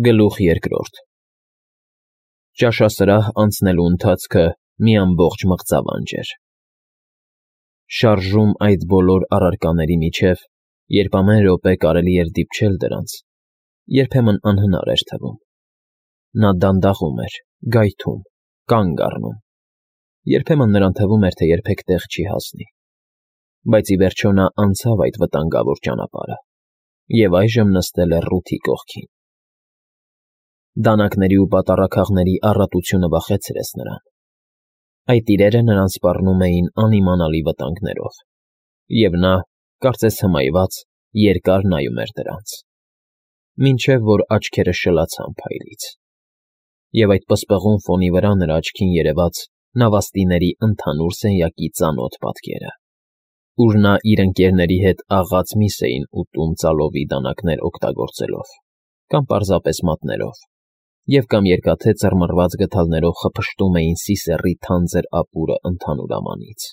Գլուխ երկրորդ Ճաշասրահ անցնելու ընթացքը մի ամբողջ մղձավանջ էր։ Շարժում այդ բոլոր առարկաների միջև, երբ ամեն րոպե կարելի էր դիպչել դրանց, երբեմն անհնար էր թվում։ Նա դանդաղում էր, գայթում, կանգ առնում։ Երբեմն նրան թվում էր, թե երբեք տեղ չի հասնի։ Բայց ի վերջո նա անցավ այդ վտանգավոր ճանապարհը և այժմ նստել է Ռութի կողքին։ Դանակների ու պատառաքաղների առատությունը վախեցրեց նրան։ Այդ իրերը նրան սպառնում էին անիմանալի վտանգներով, և նա, կարծես հմայված, երկար նայում էր դրանց, մինչև որ աչքերը շլացան փայլից, և այդ պսպղուն ֆոնի վրա նրա աչքին երևաց նավաստիների ընդհանուր սենյակի ծանոթ պատկերը, ուր նա իր ընկերների հետ աղաց միս էին ուտում ծալովի դանակներ օգտագործելով կամ պարզապես մատներով, և կամ երկաթե ծռմռված գդալներով խփշտում էին սիսեռի թանձր ապուրը ընդհանուր ամանից։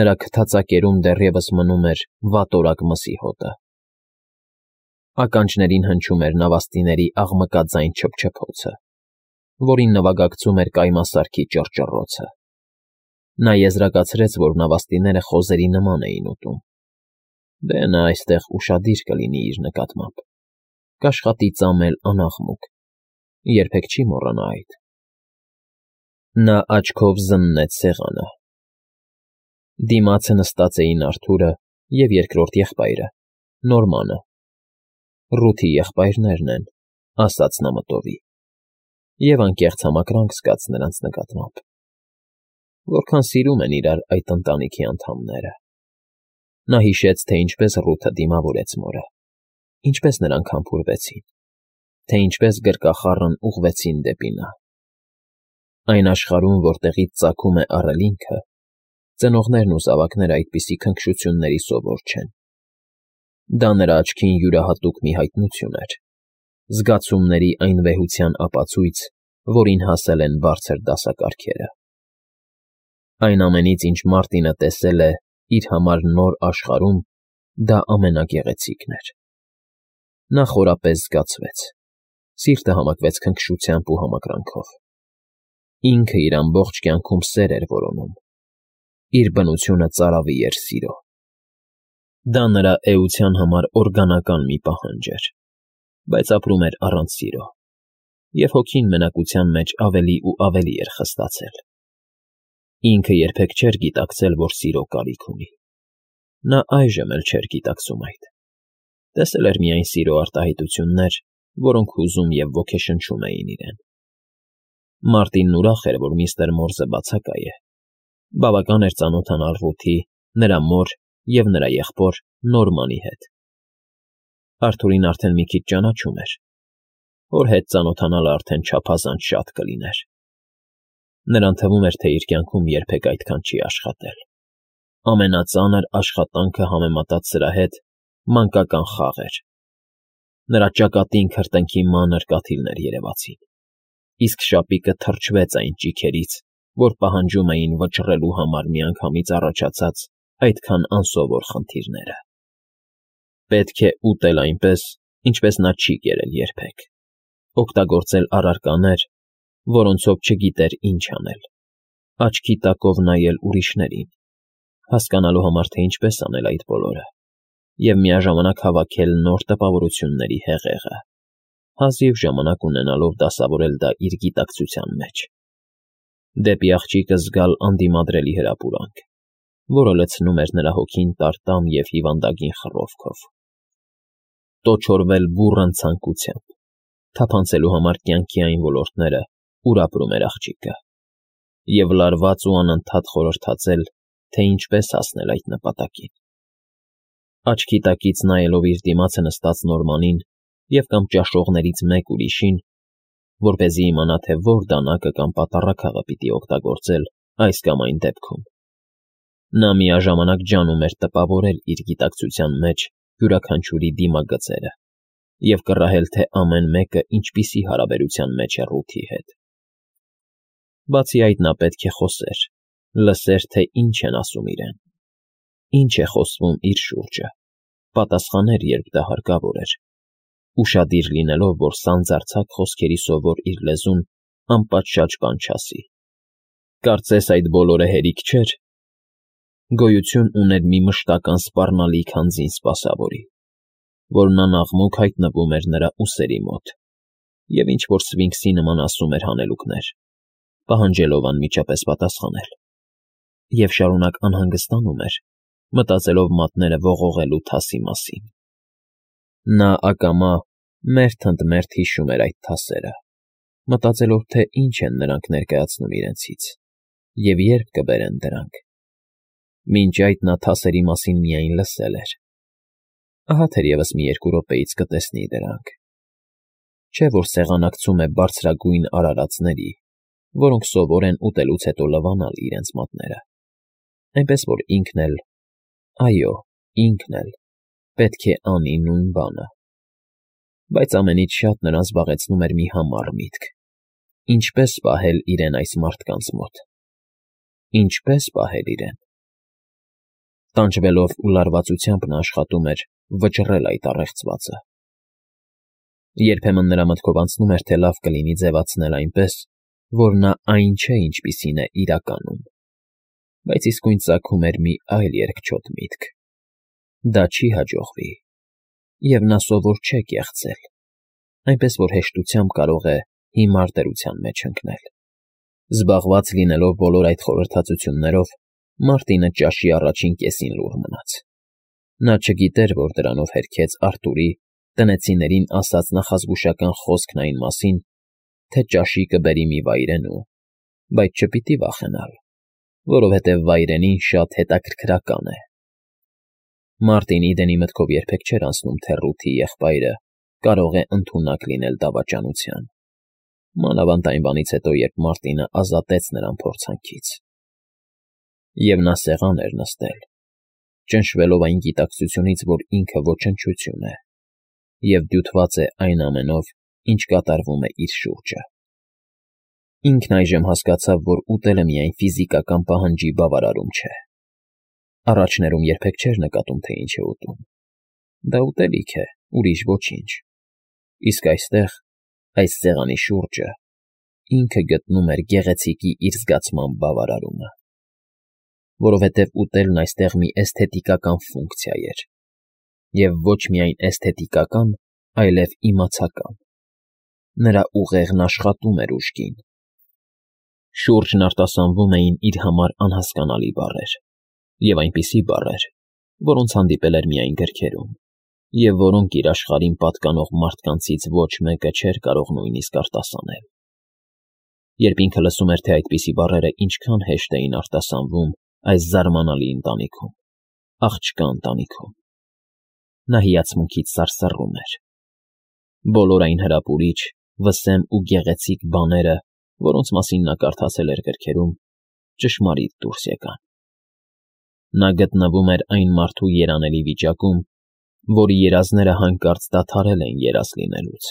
Նրա քթածակերում դեռևս մնում էր վատորակ մսի հոտը։ Ականջներին հնչում էր նավաստիների աղմկաձայն չփչփոցը, որին նվագակցում էր կայմասարքի ճռճռոցը։ Նա եզրակացրեց, որ նավաստիները խոզերի նման էին ուտում։ Դե նա այստեղ ուշադիր կլինի իր նկատմամբ, կաշխատի ծամել անաղմուկ, երբեք չի մոռանա այդ։ Նա աչքով զննեց սեղանը։ Դիմացը նստած էին Արթուրը և երկրորդ եղբայրը՝ Նորմանը։ Ռութի եղբայրներն են, ասաց նա մտովի, և անկեղծ համակրանք զգաց նրանց նկատմամբ։ Որքան սիրում են իրար այդ ընտանիքի անդամները։ Նա հիշեց, թե ինչպես Ռութը դիմավորեց մորը, ինչպես նրանք համբուրվեցին, թե ինչպես գրկախառն ուղղվեցին դեպի նա։ Այն աշխարհում, որտեղից ծագում է առելինքը, ծնողներն ու զավակները այդպիսի քնքշությունների սովոր չեն։ Դա նրա աչքին յուրահատուկ մի հայտնություն էր, զգացումների այն վեհության ապացույց, որին հասել են բարձր դասակարգերը։ Այն ամենից, ինչ Մարտինը տեսել է իր համար նոր աշխարհում, դա ամենագեղեցիկն էր։ Նա խորապես զգացվեց, սիրտը համակվեց քնքշությամբ ու համակրանքով։ Ինքը իր ամբողջ կյանքում սեր էր որոնում, իր բնությունը ծարավի էր սիրո։ Դա նրա էության համար օրգանական մի պահանջ էր, բայց ապրում էր առանց սիրո, և հոգին մենակության մեջ ավելի ու ավելի էր խստացել։ Ինքը երբեք չէր գիտակցել, որ սիրո կարիք ունի։ Նա այժմ էլ չէր գիտակցում այդ։ Տեսել էր միայն սիրո արտահայտություններ, որոնք հուզում և ոգեշնչում էին իրեն։ Մարտինն ուրախ էր, որ միստր Մորզը բացակայ է։ Բավական էր ծանոթանալ Ռութի, նրա մոր և նրա եղբոր Նորմանի հետ։ Արթուրին արդեն մի քիչ ճանաչում էր, որ հետ ծանոթանալը արդեն չափազանց շատ կլիներ։ Նրան թվում էր, թե իր կյանքում երբեք այդքան չի աշխատել։ Ամենածանր աշխատանքը համեմատած սրա հետ մանկական խաղ էր։ Նրա ճակատին քրտինքի մանր կաթիլներ երևացին, իսկ շապիկը թրջվեց այն ճիգերից, որ պահանջում էին վճռելու համար միանգամից առաջացած այդքան անսովոր խնդիրները։ Պետք է ուտել այնպես, ինչպես նա չի կերել երբեք, օգտագործել առարկաներ, որոնցով չգիտեր ինչ անել, աչքի տակով նայել ուրիշներին, հասկանալու համար, թե ինչպես անել այդ բոլորը, և միաժամանակ հավաքել նոր տպավորությունների հեղեղը, հազիվ ժամանակ ունենալով դասավորել դա իր գիտակցության մեջ։ Դեպի աղջիկը զգալ անդիմադրելի հրապուրանք, որը լցնում էր նրա հոգին տարտամ և հիվանդագին խռովքով։ Տոչորվել բուռն ցանկությամբ, թափանցելու համար կյանքի այն ոլորտները, ուր ապրում էր աղջիկը, և լարված ու անընդհատ խորհրդածել, թե ինչպես հասնել այդ նպատակին։ Աչքի տակից նայելով իր դիմացը նստած Նորմանին և կամ ճաշողներից մեկ ուրիշին, որպեսզի իմանա, թե որ դանակը կամ պատառաքաղը պիտի օգտագործել այս կամ այն դեպքում, նա միաժամանակ ջանում էր տպավորել իր գիտակցության մեջ յուրաքանչյուրի դիմագծերը և կռահել, թե ամեն մեկը ինչպիսի հարաբերության մեջ է Ռութի հետ։ Բացի այդ, նա պետք է խոսեր, լսեր, թե ինչ են ասում իրեն, ինչ է խոսվում իր շուրջը, պատասխաներ, երբ դա հարկավոր էր, ուշադիր լինելով, որ սանձարձակ խոսքերի սովոր իր լեզուն անպատշաճ բան չասի։ Կարծես այդ բոլորը հերիք չէր։ Գոյություն ուներ մի մշտական սպառնալիք հանձին սպասավորի, որն անաղմուկ հայտնվում էր նրա ուսերի մոտ, և ինչ-որ սվինքսի նման ասում էր հանելուկներ, պահանջելով անմիջապես պատասխանել, և շարունակ անհանգստանում էր, մտածելով մատները ողողելու թասի մասին։ Նա ակամա մերթ ընդ մերթ հիշում էր այդ թասերը, մտածելով, թե ինչ են նրանք ներկայացնում իրենցից, և երբ կբերեն դրանք։ Մինչ այդ նա թասերի մասին միայն լսել էր։ Ահա թերևս մի 2 րոպեից կտեսնի դրանք։ Չէ՞ որ սեղանակցում է բարձրագույն արարածների, որոնք սովոր են ուտելուց հետո լվանալ իրենց մատները, այնպես որ ինքն էլ, այո, ինքն էլ պետք է անի նույն բանը։ Բայց ամենից շատ նրան զբաղեցնում էր մի համառ միտք. ինչպե՞ս պահել իրեն այս մարդկանց մոտ։ Ինչպե՞ս պահել իրեն։ Տանջվելով ու լարվածությամբ նա աշխատում էր վճռել այդ առեղծվածը։ Երբեմն նրա մտքով անցնում էր, թե լավ կլինի ձևացնել այնպես, որ նա այն չէ, ինչպիսին է իրականում, բայց իսկույն ծագում էր մի այլ երկչոտ միտք. դա չի հաջողվի, և նա սովոր չէ կեղծել, այնպես որ հեշտությամբ կարող է հիմար դրության մեջ ընկնել։ Զբաղված լինելով բոլոր այդ խորհրդածություններով, Մարտինը ճաշի առաջին կեսին լուռ մնաց։ Նա չգիտեր, որ դրանով հերքեց Արթուրի տնեցիներին ասած նախազգուշական խոսքն այն մասին, թե ճաշի կբերի մի վայրենու, բայց չպիտի վախենալ, որովհետև վայրենին շատ հետաքրքրական է։ Մարտին Իդենի մտքով երբեք չէր անցնում, թե Ռութի եղբայրը կարող է ընդունակ լինել դավաճանության, մանավանդ այն բանից հետո, երբ Մարտինը ազատեց նրան փորձանքից։ Եվ նա սեղան էր նստել, ճնշվելով այն գիտակցությունից, որ ինքը ոչնչություն է, և դյութված է այն ամենով, ինչ կատարվում է իր շուրջը։ Ինքն այժմ հասկացավ, որ ուտելը միայն ֆիզիկական պահանջի բավարարում չէ։ Առաջներում երբեք չէր նկատում, թե ինչ է ուտում։ Դա ուտելիք է, ուրիշ ոչինչ։ Իսկ այստեղ, այս սեղանի շուրջը, ինքը գտնում էր գեղեցիկի իր զգացման բավարարումը, որովհետև ուտելն այստեղ մի էսթետիկական ֆունկցիա էր, և ոչ միայն էսթետիկական, այլև իմացական։ Նրա ուղեղն աշխատում էր ուժգին։ Շուրջն արտասանվում էին իր համար անհասկանալի բառեր, և այնպիսի բառեր, որոնց հանդիպել էր միայն գրքերում, և որոնք իր աշխարհին պատկանող մարդկանցից ոչ մեկը չէր կարող նույնիսկ արտասանել։ Երբ ինքը լսում էր, թե այդպիսի բառերը ինչքան հեշտ էին արտասանվում այս զարմանալի ընտանիքում, աղջկա ընտանիքում, նա հիացմունքից սարսռում էր։ Բոլոր այն հրապուրիչ, վսեմ ու գեղեցիկ բաները, որոնց մասին նա կարդացել էր գրքերում, ճշմարիտ դուրս եկան։ Նա գտնվում էր այն մարդու երանելի վիճակում, որի երազները հանկարծ դադարել են երազ լինելուց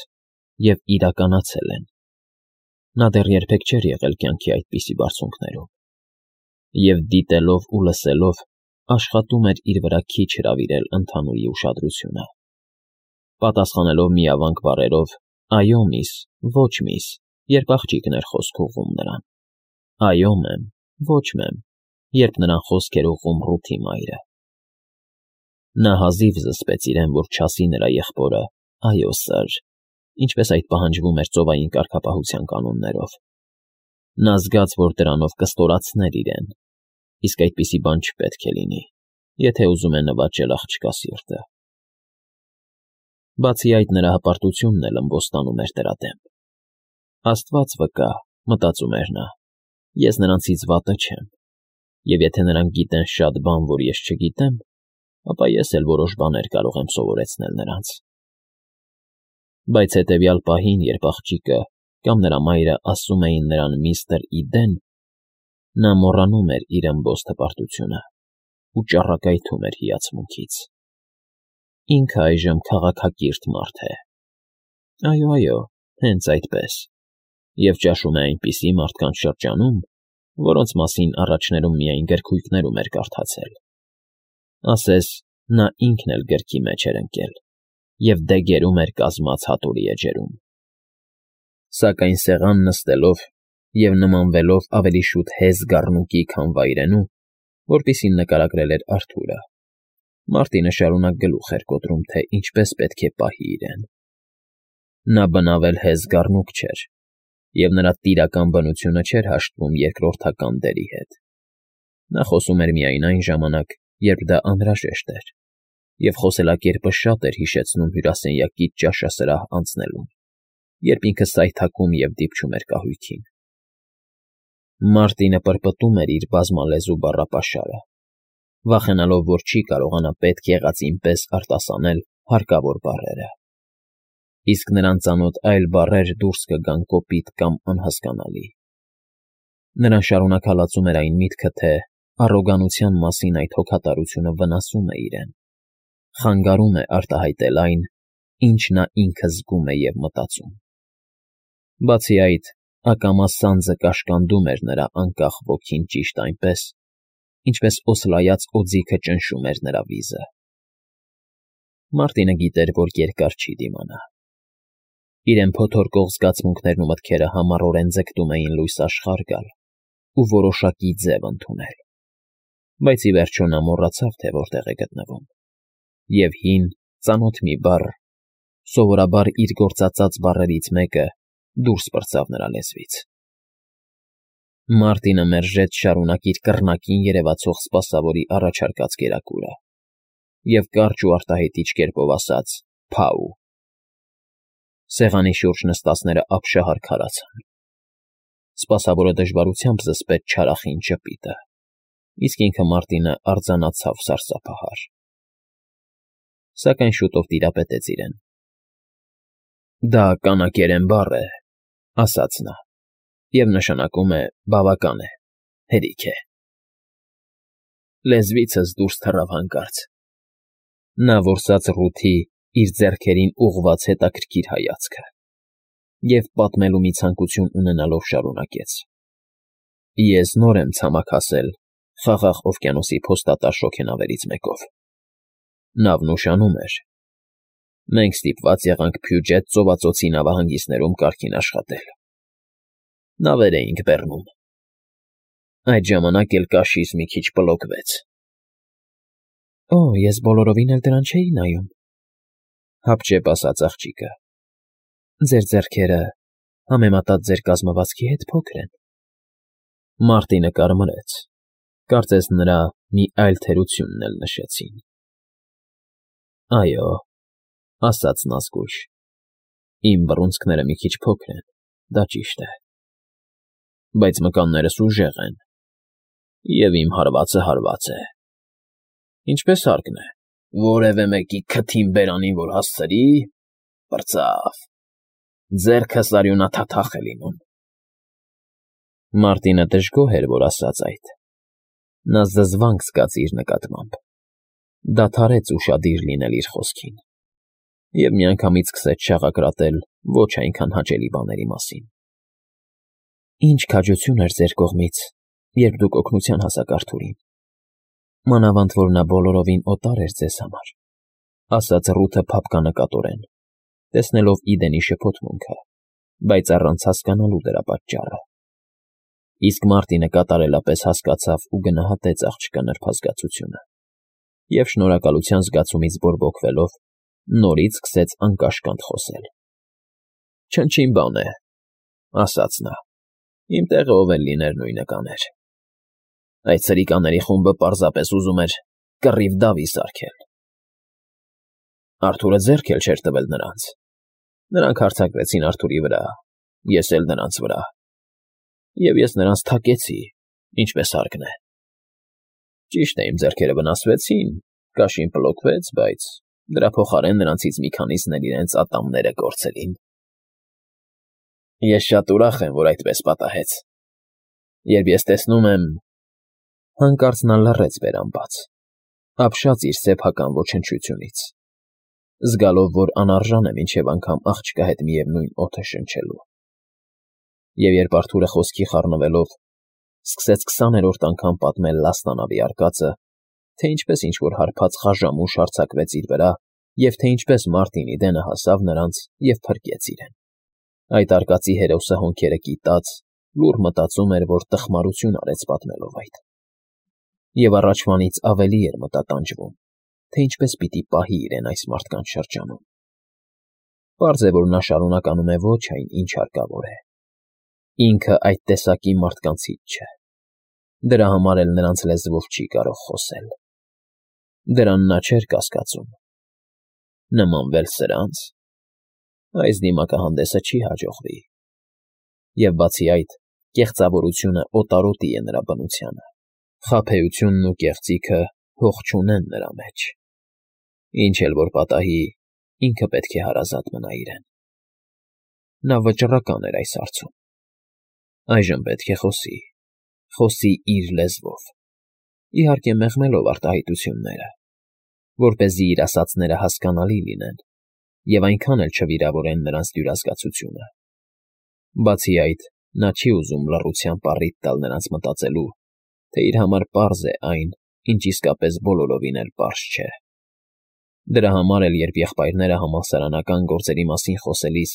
և իրականացել են։ Նա դեռ երբեք չէր եղել կյանքի այդպիսի բարձունքներում, և դիտելով ու լսելով աշխատում էր իր վրա քիչ հրավիրել ընդհանուրի ուշադրությունը, պատասխանելով միավանք բառերով «այո, միս», «ոչ, միս», երբ աղջիկն էր խոսք ուղղում նրան, «այո, մեմ», «ոչ, մեմ», երբ նրան խոսք էր ուղղում Ռութի մայրը։ Նա հազիվ զսպեց իրեն, որ չասի նրա եղբորը «այո, սըր», ինչպես այդ պահանջվում էր ծովային կարգապահության կանոններով։ Նա զգաց, որ դրանով կստորացներ իրեն, իսկ այդպիսի բան չպետք է լինի, եթե ուզում է նվաճել աղջկա սիրտը։ Բացի այդ, նրա հպարտությունն էլ ըմբոստանում էր դրա դեմ։ Աստված վկա, մտածում էր նա, ես նրանցից վատը չեմ, և եթե նրանք գիտեն շատ բան, որ ես չգիտեմ, ապա ես էլ որոշ բաներ կարող եմ սովորեցնել նրանց։ Բայց հետևյալ պահին, երբ աղջիկը կամ նրա մայրը ասում էին նրան միստր Իդեն, նա մոռանում էր իր ըմբոստ հպարտությունը ու ճառագայթում էր հիացմունքից։ Ինքը այժմ քաղաքակիրթ մարդ է։ Այո, այո, հենց այդպես, և ճաշում է այնպիսի մարդկանց շրջանում, որոնց մասին առաջներում միայն գրքույկներում էր կարդացել։ Ասես նա ինքն էլ գրքի մեջ էր ընկել և դեգերում էր կազմած հատորի էջերում։ Սակայն սեղան նստելով և նմանվելով ավելի շուտ հեզ գառնուկի, քան վայրենու, որպիսին նկարագրել էր Արթուրը, Մարտինը շարունակ գլուխ էր կոտրում, թե ինչպես պետք է պահի իրեն։ Նա բնավել հեզ գառնուկ չէր, և նրա տիրական բնությունը չէր հաշտվում երկրորդական դերի հետ։ Նա խոսում էր միայն այն ժամանակ, երբ դա անհրաժեշտ էր, և խոսելակերպը շատ էր հիշեցնում հյուրասենյակից ճաշասրահ անցնելուն, երբ ինքը սայթաքում և դիպչում էր կահույքին։ Մարտինը պրպտում էր իր բազմալեզու բառապաշարը, վախենալով, որ չի կարողանա պետք եղածին պես արտասանել հարկավոր բառերը, իսկ նրան ծանոթ այլ բառեր դուրս կգան կոպիտ կամ անհասկանալի։ Նրան շարունակ հալածում էր այն միտքը, թե առոգանության մասին այդ հոգատարությունը վնասում է իրեն, խանգարում է արտահայտել այն, ինչ նա ինքը զգում է և մտածում։ Բացի այդ, ակամա սանձը կաշկանդում էր նրա անկախ ոգին ճիշտ այնպես, ինչպես օսլայած օձիքը ճնշում էր նրա վիզը։ Մարտինը գիտեր, որ երկար չի դիմանա։ Իրեն փոթորկող զգացմունքներն ու մտքերը համառորեն ձգտում էին լույս աշխարհ գալ ու որոշակի ձև ընդունել, բայց ի վերջո նա մոռացավ, թե որտեղ է գտնվում, և հին, ծանոթ մի բառ, սովորաբար իր գործածած բառերից մեկը, դուրս պրծավ նրա լեզվից։ Մարտինը մերժեց շարունակ իր կռնակին երևացող սպասավորի առաջարկած կերակուրը և կարճ ու արտահայտիչ կերպով ասաց. «Փա՜ւ»։ Սեղանի շուրջ նստածները ապշահար քարացան։ Սպասավորը դժվարությամբ զսպեց չարախին ժպիտը, իսկ ինքը Մարտինը արձանացավ սարսափահար։ Սակայն շուտով տիրապետեց իրեն։ «Դա կանակերեն բառ է,֊ ասաց նա,֊ և նշանակում է բավական է, հերիք է»։ Լեզվիցս դուրս թռավ հանկարծ։ Նա որսաց ռութի իր ձեռքերին ուղղված հետաքրքիր հայացքը և, պատմելու մի ցանկություն ունենալով, շարունակեց. «Ես նոր եմ ցամաք հասել Խաղաղ օվկիանոսի փոստատար շոգենավերից մեկով։ Նավն ուշանում էր։ Մենք ստիպված եղանք Փյուջետ ծովածոցի նավահանգիստներում կարգին աշխատել։ Նավեր էինք բեռնում։ Այդ ժամանակ էլ կաշից մի քիչ պլոկվեց»։ «Օ, ես բոլորովին էլ դրան չէի նայում,֊ հապճեպ ասաց աղջիկը։ Ձեր ձեռքերը, համեմատած ձեր կազմվածքի հետ, փոքր են»։ Մարտինը կարմրեց, կարծես նրա մի այլ թերությունն էլ նշեցին։ «Այո,֊ ասաց նա զգույշ,֊ իմ բռունցքները մի քիչ փոքր են, դա ճիշտ է, բայց մկաններս ուժեղ են, և իմ հարվածը հարված է։ Ինչպես հարկն է, որևէ մեկի քթին բերանին որ հասցրի, պրծավ, ձեռքս արյունաթաթախ է լինում»։ Մարտինը դժգոհ էր, որ ասաց այդ։ Նա զզվանք զգաց իր նկատմամբ, դադարեց ուշադիր լինել իր խոսքին և միանգամից սկսեց շաղակրատել ոչ այնքան հաճելի բաների մասին։ «Ինչ քաջություն էր ձեր կողմից, երբ դուք օգնության հասաք Արթուրին, մանավանդ որ նա բոլորովին օտար էր ձեզ համար,֊ ասաց Ռութը փափկանակատորեն, տեսնելով Իդենի շփոթմունքը, բայց առանց հասկանալու դրա պատճառը։ Իսկ Մարտինը կատարելապես հասկացավ ու գնահատեց աղջկա նրբազգացությունը և, շնորհակալության զգացումից բորբոքվելով, նորից սկսեց անկաշկանդ խոսել։ «Չնչին բան է,֊ ասաց նա,֊ իմ տեղը ով էլ լիներ նույնը կաներ։ Այդ սրիկաների խումբը պարզապես ուզում էր կռիվ դավի սարքել։ Արթուրը ձեռք էլ չէր տվել նրանց։ Նրանք հարձակվեցին Արթուրի վրա, ես էլ նրանց վրա, և ես նրանց թակեցի, ինչպես հարկն է։ Ճիշտ է, իմ ձեռքերը վնասվեցին, կաշին պլոկվեց, բայց դրա փոխարեն նրանցից մի քանիսն էլ իրենց ատամները կորցրին։ Ես շատ ուրախ եմ, որ այդպես պատահեց։ Երբ ես տեսնում եմ…» Հանկարծ նա լռեց բերանբաց, ապշած իր սեփական ոչնչությունից, զգալով, որ անարժան է մինչև անգամ աղջկա հետ միևնույն օդը շնչելու։ Եվ երբ Արթուրը խոսքի խառնվելով սկսեց 20-րդ անգամ պատմել լաստանավի արկածը, թե ինչպես ինչ֊որ հարբած խաժամուշ հարձակվեց իր վրա և թե ինչպես Մարտինի դենը հասավ նրանց և փրկեց իրեն։ Այդ արկածի հերոսը հոնքերը կիտած, լուռ մտածում էր, որ տխմարություն արեց պատմելով այդ։ Եվ առաջվանից ավելի էր մտատանջվում, թե ինչպես պիտի պահի իրեն այս մարդկանց շրջանում։ Պարզ է, որ նա շարունակ անում է ոչ այն, ինչ հարկավոր է։ Ինքը այդ տեսակի մարդկանցից չէ։ Դրա համար էլ նրանց լեզվով չի կարող խոսել։ Դրան նա չէր կասկածում։ Նմանվել սրանց… Այս դիմակահանդեսը չի հաջողվի։ Եվ բացի այդ, կեղծավորությունը օտարոտի է նրա բնությանը, խաբեությունն ու կեղծիքը հող չունեն նրա մեջ։ Ինչ էլ որ պատահի, ինքը պետք է հարազատ մնա իրեն։ Նա վճռական էր այս հարցում։ Այժմ պետք է խոսի իր լեզվով, իհարկե մեղմելով արտահայտությունները, որպեսզի իր ասածները հասկանալի լինեն և այնքան էլ չվիրավորեն նրանց դյուրազգացությունը։ Բացի այդ, նա չի ուզում լռությամբ առիթ տալ նրանց մտածելու, թե իր համար պարզ է այն, ինչ իսկապես բոլորովին էլ պարզ չէ։ Դրա համար էլ, երբ եղբայրները համալսարանական գործերի մասին խոսելիս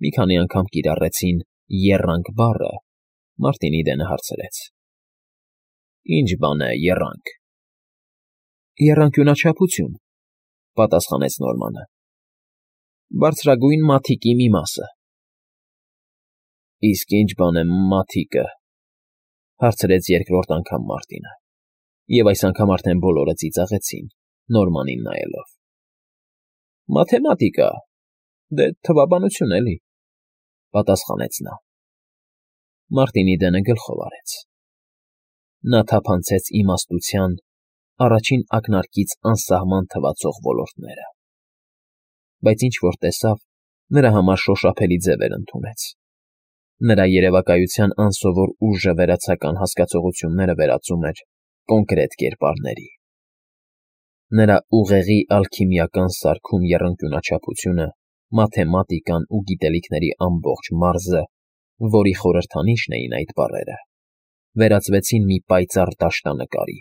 մի քանի անգամ կիրառեցին «եռանք» բառը, Մարտինի դենը հարցրեց. «Ի՞նչ բան է եռանք»։ «Եռանկյունաչափություն», պատասխանեց Նորմանը։ «Բարձրագույն մաթիկի մի մասը»։ «Իսկ ի՞նչ բան է մաթիկը», հարցրեց երկրորդ անգամ Մարտինը, և այս անգամ արդեն բոլորը ծիծաղեցին, Նորմանին նայելով։ «Մաթեմատիկա, դե թվաբանություն էլի», պատասխանեց նա։ Մարտինի դենը գլխով արեց։ Նա թափանցեց իմաստության առաջին ակնարկից անսահման թվացող ոլորտները։ Բայց ինչ֊որ տեսավ, նրա համար շոշափելի ձևեր ընդունեց։ Նրա երևակայության անսովոր ուժը վերացական հասկացությունները վերածում էր կոնկրետ կերպարների։ Նրա ուղեղի ալքիմիական սարքում եռանկյունաչափությունը, մաթեմատիկան ու գիտելիքների ամբողջ մարզը, որի խորհրդանիշն էին այդ բառերը, վերածվեցին մի պայծառ դաշտանկարի,